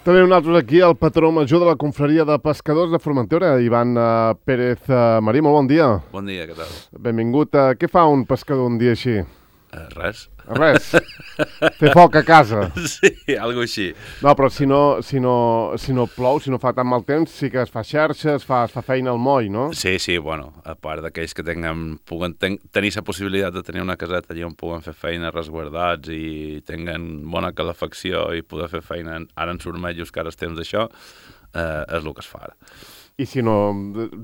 També nosaltres aquí, el patró major de la confraria de pescadors de Formentera, Ivan Pérez Marí. Molt bon dia. Bon dia, què tal? Benvingut. Què fa un pescador un dia així? Res. Res. Fer foc a casa. Sí, algo així. No, però si no plou, si no fa tan mal temps, sí que es fa xarxa, es fa feina al moll, no? Sí, bueno, a part d'aquells que puguen tenir la possibilitat de tenir una caseta allà on puguen fer feina resguardats i tinguen bona calefacció i poder fer feina ara en surmejos, que ara és temps d'això, és el que es fa ara. I si no,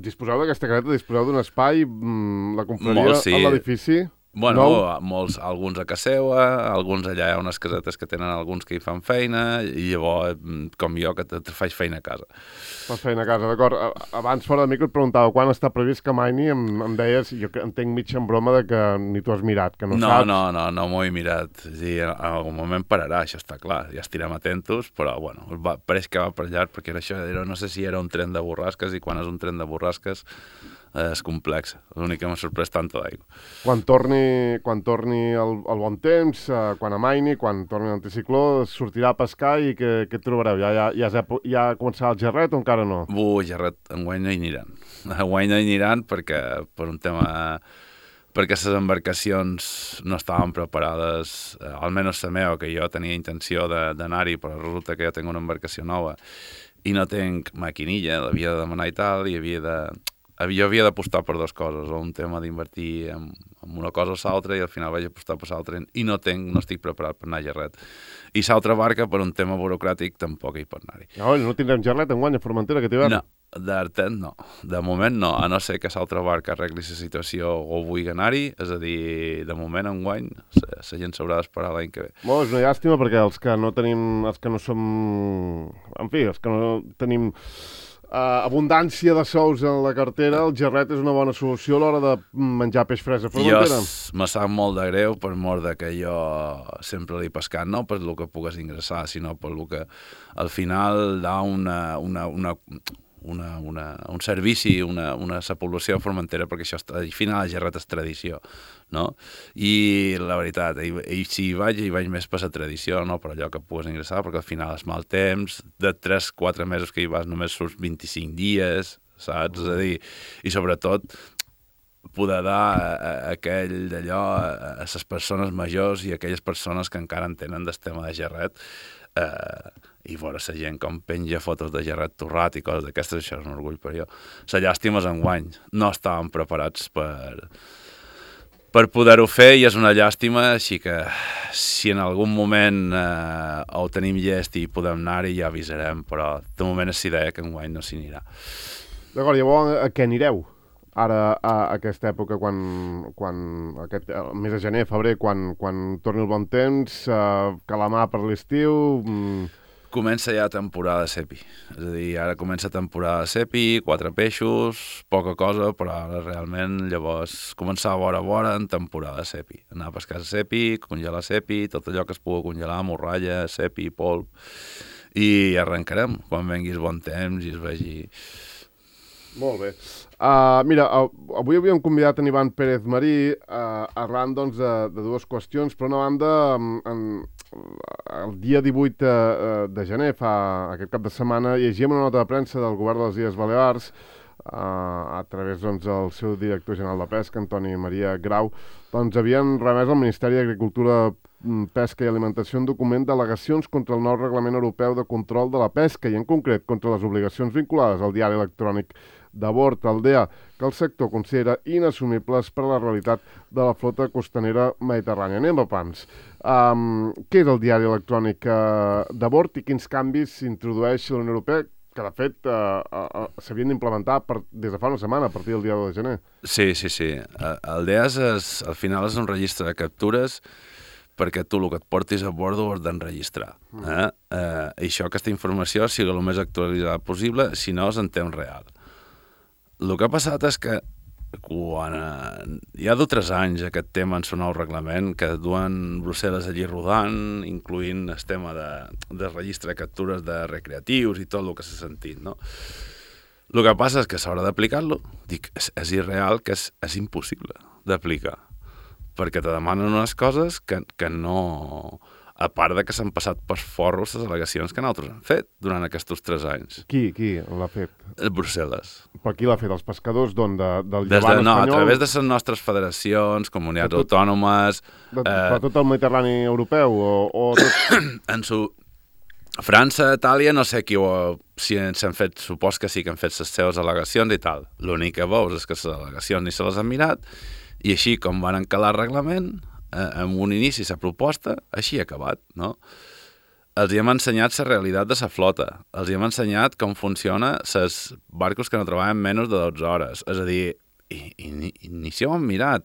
disposeu d'aquesta caseta, disposeu d'un espai, la confraria Molt, sí. a l'edifici? Bueno, Nou? alguns a casa seva, alguns allà hi ha unes casetes que tenen alguns que hi fan feina, i llavors, com jo, que faig feina a casa. Fas feina a casa, d'acord. Abans, fora de micro, et preguntava quan està previst que maini, em deies, jo entenc mitja en broma de que ni tu has mirat, que no saps. No m'ho he mirat. Sí, en algun moment pararà, això està clar, ja estirem atentos, però, bueno, pareix que va per llarg, perquè no sé si era un tren de borrasques, i quan és un tren de borrasques és complex. L'únic que m'ha sorprès tanta d'aigua. Quan torni el bon temps, quan amaini, quan torni l'anticicló, sortirà a pescar i què trobareu? Ja ha començat el gerret o encara no? Gerret, enguany no hi aniran. Enguany no hi aniran perquè per un tema... perquè les embarcacions no estaven preparades, almenys la meva, que jo tenia intenció d'anar-hi, però resulta que jo tinc una embarcació nova i no tinc maquinilla, l'havia de demanar i tal, i jo havia d'apostar per dues coses, o un tema d'invertir en una cosa o l'altra, i al final vaig apostar per l'altra, i no estic preparat per anar a Gerret. I l'altra barca, per un tema burocràtic, tampoc hi pot anar-hi. No tindrem Gerret enguany a Formentera aquest hivern? No, d'artet no. De moment no, a no ser que l'altra barca arregli la situació o vulgui anar-hi, és a dir, de moment enguany la gent s'haurà d'esperar l'any que ve. És una llàstima perquè els que no tenim abundància de sous en la cartera, el gerret és una bona solució a l'hora de menjar peix fresc a Formentera. Jo me sap molt de greu per mort de que jo sempre l'he pescat, no per el que pugues ingressar, sinó per el que al final dà un servici, una població de Formentera, perquè això al final el gerret és tradició, no? I la veritat, si hi vaig més per la tradició, no per allò que pugues ingressar, perquè al final és mal temps, de 3-4 mesos que hi vas només surts 25 dies, saps? És a dir, i sobretot poder dar aquell d'allò a les persones majors i a aquelles persones que encara en tenen del tema de gerret, i veure la gent com penja fotos de gerret torrat i coses d'aquestes, això és un orgull per jo. La llàstima és enguany, no estàvem preparats per poder-ho fer, i és una llàstima, així que si en algun moment ho tenim llest i podem anar-hi ja avisarem, però de moment és idea que enguany no s'hi anirà. D'acord, llavors a què anireu? Ara, a aquesta època, el mes de gener, febrer, quan torni el bon temps, calamar per l'estiu... Comença ja temporada de cepi, és a dir, ara comença temporada de cepi, 4 peixos, poca cosa, però ara realment llavors començar a vora en temporada de cepi, anar a pescar cepi, congelar cepi, tot allò que es pugui congelar, morralla, cepi, polp, i arrencarem quan vengui el bon temps i es vegi... Molt bé. Mira, avui havíem convidat en Ivan Pérez Marí arran doncs, de dues qüestions. Per una banda, el dia 18 de gener, aquest cap de setmana, llegíem una nota de premsa del govern de les Illes Balears a través del seu director general de Pesca, Antoni Maria Grau, doncs havien remès al Ministeri d'Agricultura, Pesca i Alimentació un document d'al·legacions contra el nou Reglament Europeu de Control de la Pesca i, en concret, contra les obligacions vinculades al diari electrònic de bord, Aldea, que el sector considera inassumibles per a la realitat de la flota costanera mediterrània. Anem a pams. Què és el diari electrònic de bord i quins canvis s'introdueix la Unió Europea, que de fet s'havien d'implementar des de fa una setmana, a partir del dia 1 de gener? Sí. Aldea al final és un registre de captures perquè tu el que et portis a bord ho has d'enregistrar. Això, aquesta informació, sigui el més actualitzada possible, si no és en temps real. El que ha passat és que quan hi ha 3 anys aquest tema en el nou reglament, que duen Brussel·les allí rodant, incloent el tema de registre de captures de recreatius i tot el que s'ha sentit, no? El que passa és que a l'hora d'aplicar-lo, dic, és irreal, que és impossible d'aplicar, perquè te demanen unes coses que no... A part de que s'han passat per forros les al·legacions que nosaltres hem fet durant aquests 3 anys. Qui l'ha fet? Brussel·les. Per qui l'ha fet? Els pescadors d'on? Del Des llevant de, no, espanyol? a través de les nostres federacions, comunitats autònomes... Per tot el Mediterrani europeu? O tot... França, Itàlia, no sé si s'han fet, supos que sí que han fet les seves al·legacions i tal. L'únic que veus és que les al·legacions ni se les han mirat i així com van encalar el reglament, en un inici la proposta, així ha acabat, no? Els hi hem ensenyat la realitat de la flota, els hi hem ensenyat com funciona els barcos que no treballen menys de 12 hores, és a dir, ni s'hi ho han mirat,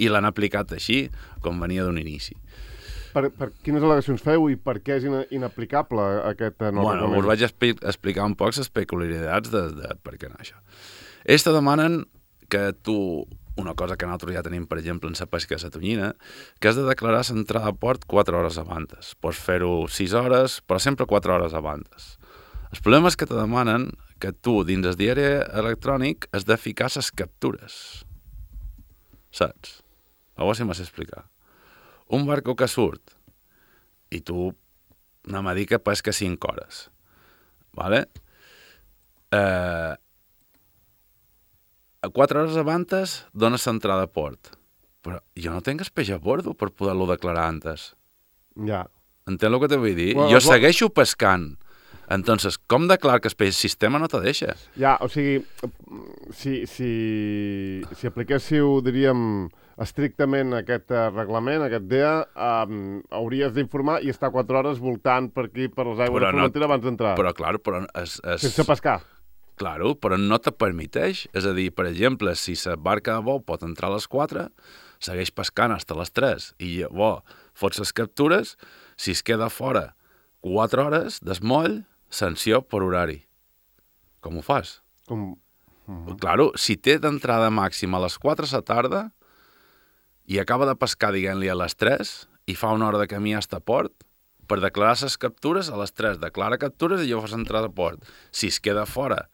i l'han aplicat així, com venia d'un inici. Per quines al·legacions feu i per què és inaplicable aquest nou reglament? Us vaig explicar un poc les peculiaritats de per què no això. Ells te demanen que tu, una cosa que nosaltres ja tenim, per exemple, en la pesca de la tonyina, que has de declarar l'entrada a port 4 hores abans. Pots fer-ho 6 hores, però sempre 4 hores abans. El problema és que te demanen que tu, dins el diari electrònic, has de ficar les captures. Saps? A veure si m'has explicat. Un barco que surt i tu anem a dir que pesca 5 hores. Vale? A 4 hores abans dones l'entrada a port. Però jo no tinc el peix a bordo per poder-lo declarar antes. Ja. Entens el que te vull dir? Jo segueixo pescant. Entonces, com declarar que el peix sistema no te deixa? Ja, o sigui, si apliquéssiu, diríem, estrictament aquest reglament, aquest DEA, hauries d'informar i estar 4 hores voltant per aquí, per les aigües de Formentera abans d'entrar. Però, clar, sense pescar. Claro, però no te permeteix. És a dir, per exemple, si la barca de vol pot entrar a les 4, segueix pescant fins a les 3 i llavors fots les captures, si es queda fora 4 hores d'esmoll, sanció per horari. Com ho fas? Claro, si té d'entrada màxima a les 4 de la tarda i acaba de pescar, diguem-li, a les 3 i fa una hora de camí fins a port, per declarar les captures a les 3 declara captures i llavors entrada a port. Si es queda fora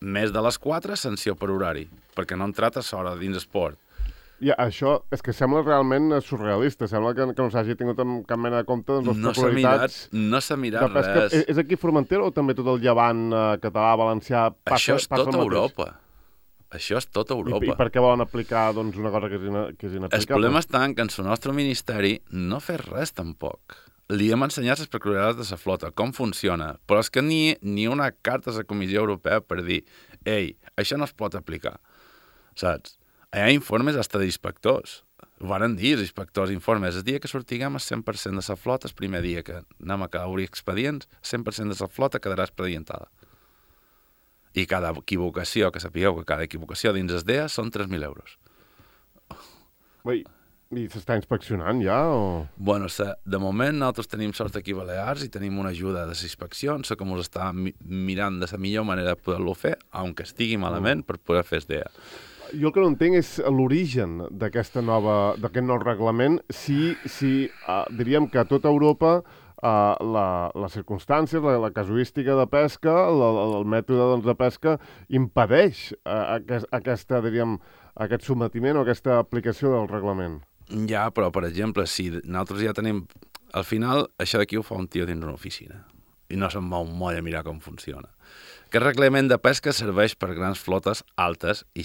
més de les 4, sanció per horari, perquè no ha entrat a l'hora dins el port. Ja, això és que sembla realment surrealista, sembla que no s'hagi tingut en cap mena de compte doncs, les peculiaritats. No s'ha mirat res. És aquí Formentera o també tot el llevant català, valencià, passa el mateix? Això és tota Europa. Això és tota Europa. I per què volen aplicar doncs, una cosa que és inaplicable? El problema està en que en el nostre ministeri no fa res tampoc. Li hem ensenyat les peculiaritats de la flota, com funciona, però és que ni una carta a la Comissió Europea per dir ei, això no es pot aplicar, saps? Hi ha informes hasta d'inspectors. Ho van dir els inspectors informes. El dia que sortiguem el 100% de la flota, el primer dia que anem a obrir expedients, el 100% de la flota quedarà expedientada. I cada equivocació, que sapigueu que cada equivocació dins el DEA són 3.000 euros. I s'està inspeccionant ja? O... Bueno, de moment nosaltres tenim sort aquí a Balears i tenim una ajuda de les inspeccions, que ens està mirant de la millor manera de poder-lo fer, aunque estigui malament, per poder fer el DEA. Jo el que no entenc és l'origen d'aquest nou reglament, si diríem que a tota Europa les circumstàncies, la casuística de pesca, el mètode doncs, de pesca, impedeix aquest sotmetiment o aquesta aplicació del reglament. Ja, però, per exemple, si nosaltres ja tenim... Al final, això d'aquí ho fa un tio dins una oficina i no se'n va un moll a mirar com funciona. Aquest reglament de pesca serveix per grans flotes altes i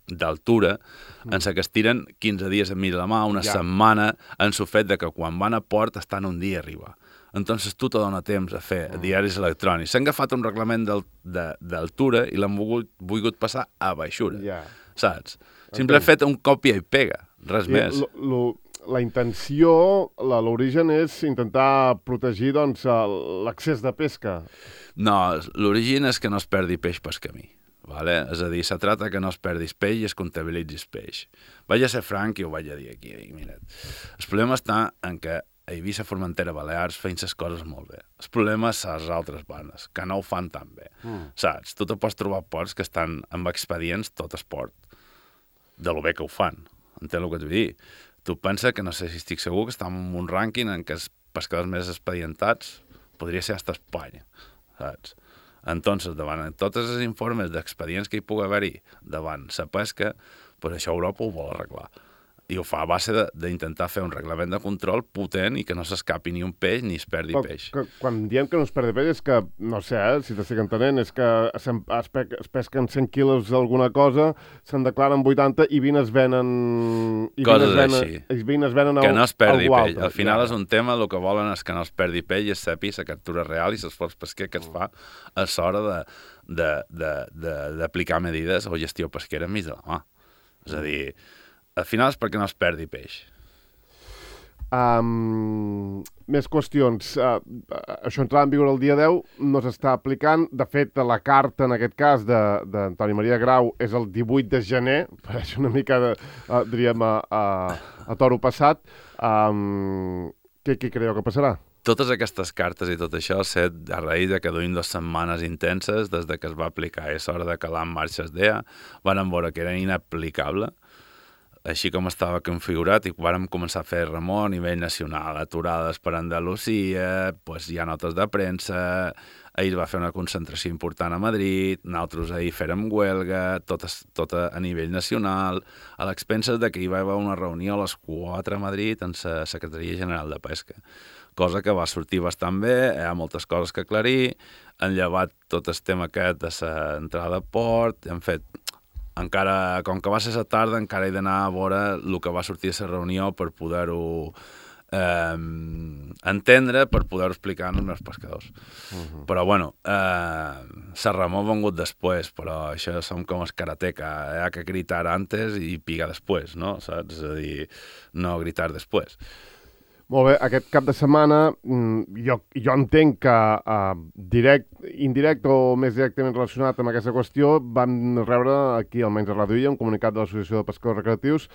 d'altura, en què es tiren 15 dies a mig de la mà, una setmana, en el fet de que quan van a port estan un dia a arribar. Entonces tu te dona temps a fer diaris electrònics. S'han agafat un reglament d'altura i l'han volgut passar a baixura, saps? Simplement fet un còpia i pega, res més. La intenció, l'origen és intentar protegir doncs, l'accés de pesca. No, l'origen és que no es perdi peix pel camí. Vale? És a dir, se trata que no es perdis peix i es comptabilitzis peix. Vaig a ser franc i ho vaig a dir aquí. Mira't. El problema està en que a Eivissa, Formentera, Balears feien les coses molt bé. El problema és les altres bandes, que no ho fan tan bé. Saps? Tu te pots trobar ports que estan amb expedients tot esport, de lo bé que ho fan. Entens el que et vull dir? Tu pensa que, no sé si estic segur, que estem en un rànquing en què els pescadors més expedientats podria ser hasta Espanya, saps? Entonces, davant tots els informes d'expedients que hi pugui haver-hi davant la pesca, pues això Europa ho vol arreglar. I ho fa a base d'intentar fer un reglament de control potent i que no s'escapi ni un peix ni es perdi peix. Quan diem que no es perdi peix és que, no sé, si t'estic entenent, és que es pesquen 100 quilos d'alguna cosa, se'n declaren 80 i 20 es venen... Coses així. I 20 es venen que no es perdi peix. altre. Al final és un tema, el que volen és que no es perdi peix i es sepi la captura real i l'esforç pesquer que es fa a l'hora d'aplicar medides o gestió pesquera enmig de la mà. És a dir, al final és perquè no es perdi peix. Més qüestions. Això entrarà en vigor el dia 10, no s'està aplicant. De fet, la carta, en aquest cas, d'Antoni Maria Grau és el 18 de gener, pareix una mica, diríem, a toro passat. Què creieu que passarà? Totes aquestes cartes i tot això s'ha a raïs de que duim 2 setmanes intenses des de que es va aplicar. És hora de calar en marxa el DEA. Van veure que era inaplicable, així com estava configurat, i vàrem començar a fer remor a nivell nacional, aturades per Andalusia, pues hi ha notes de premsa, ahir va fer una concentració important a Madrid, nosaltres ahir fèrem huelga, tot a nivell nacional, a l'expenses de que hi va haver una reunió a les 4 a Madrid en la Secretaria General de Pesca, cosa que va sortir bastant bé, hi ha moltes coses que aclarir, han llevat tot el tema aquest de l'entrada a port, hem fet... Encara, com que va ser a la tarda, encara he d'anar a veure el que va sortir a la reunió per poder-ho entendre, per poder-ho explicar als meus pescadors. Però, bueno, la remor ha vengut després, però això som com els karateka, hi ha que gritar antes i picar després, no? Saps? És a dir, no gritar després. Molt bé, aquest cap de setmana jo entenc que indirect o més directament relacionat amb aquesta qüestió vam rebre aquí, almenys a Ràdio Illa, un comunicat de l'Associació de Pescadors Recreatius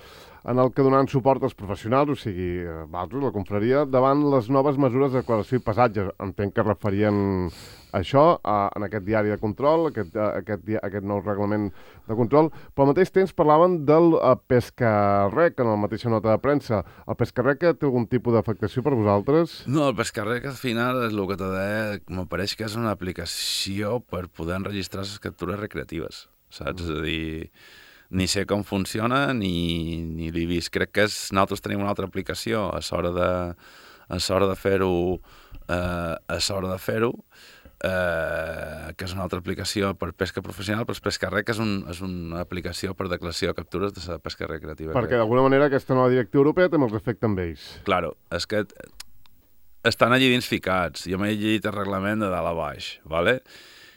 en el que donaven suport als professionals, o sigui, vosaltres, la confraria, davant les noves mesures de declaració i passatge. Entenc que referien això en aquest diari de control, aquest nou reglament de control, però al mateix temps parlaven del pescarrec en la mateixa nota de premsa. El pescarrec té algun tipus d'afectació per vosaltres? No, el pescarrec al final és el que t'he dit, m'apareix que és una aplicació per poder enregistrar les captures recreatives, saps? És a dir, ni sé com funciona ni l'he vist. Crec que nosaltres tenim una altra aplicació a l'hora de fer-ho, que és una altra aplicació per pesca professional, però el pescarrec és una aplicació per declaració de captures de la pesca recreativa. Perquè d'alguna manera aquesta nova directiva europea també els afecta amb ells. Claro, és que estan allí dins ficats. Jo m'he llegit el reglament de dalt a baix, ¿vale?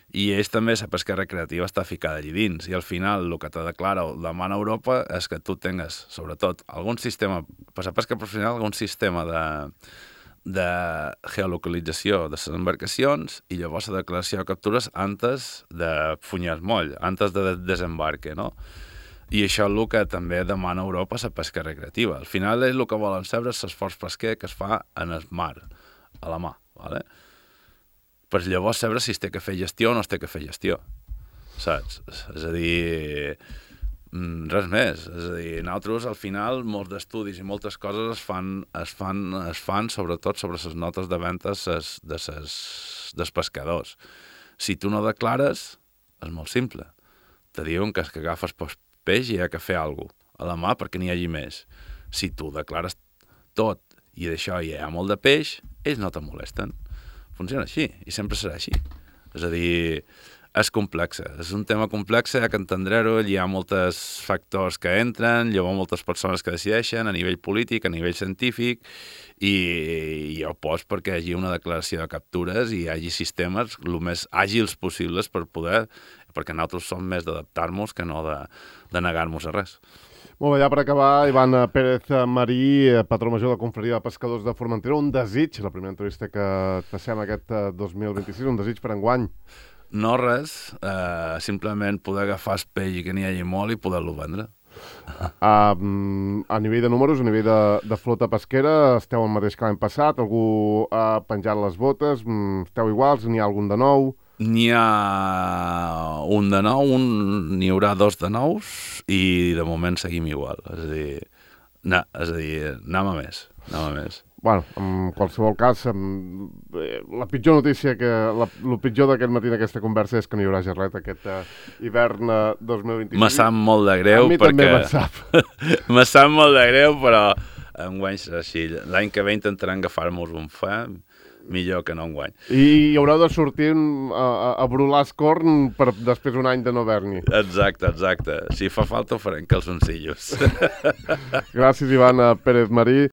I ells també, la pesca recreativa està ficada allí dins, i al final el que te declara o demana Europa és que tu tingues, sobretot, algun sistema, per la pesca professional, algun sistema de geolocalització de les embarcacions i llavors la declaració de captures antes de funyar el moll, antes de desembarque, no? I això és el que també demana Europa la pesca recreativa. Al final és el que volen saber l'esforç pesquer que es fa en el mar, a la mà, ¿vale? Per llavors saber si es té que fer gestió o no es té que fer gestió, saps? És a dir, res més. És a dir, nosaltres, al final, molts d'estudis i moltes coses es fan sobretot sobre les notes de ventes dels pescadors. Si tu no declares, és molt simple. Te diuen que agafes peix i hi ha que fer alguna cosa a la mà perquè n'hi hagi més. Si tu declares tot i d'això hi ha molt de peix, ells no te molesten. Funciona així, i sempre serà així. És a dir, és complex, és un tema complex, hi ha que entendre-ho, hi ha molts factors que entren, hi ha moltes persones que decideixen a nivell polític, a nivell científic, i jo poso perquè hi hagi una declaració de captures i hi hagi sistemes el més àgils possibles per poder, perquè nosaltres som més d'adaptar-nos que no de negar-nos a res. Molt bé, ja per acabar, Ivan Pérez Marí, patró major de la Confraria de Pescadors de Formentera, un desig, la primera entrevista que passem aquest 2026, un desig per enguany. No res, simplement poder agafar el peix i que n'hi hagi molt i poder-lo vendre. A nivell de números, a nivell de flota pesquera, esteu el mateix que l'any passat? Algú ha penjat les botes? Esteu iguals? N'hi ha algun de nou? N'hi ha un de nou, n'hi haurà 2 de nous i de moment seguim igual. És a dir, anem a més. Bueno, en qualsevol cas, la pitjor notícia, el pitjor d'aquest matí d'aquesta conversa és que no hi haurà gerret aquest hivern 2025. Me sap molt de greu, a mi també me'n sap. Me sap molt de greu, però enguany serà així. L'any que ve intentaran agafar-nos un fa, millor que no enguany. I hi haureu de sortir a brular escorn per després un any de no haver-n'hi. Exacte. Si fa falta ho farem calzoncillos. Gràcies, Ivan Pérez Marí.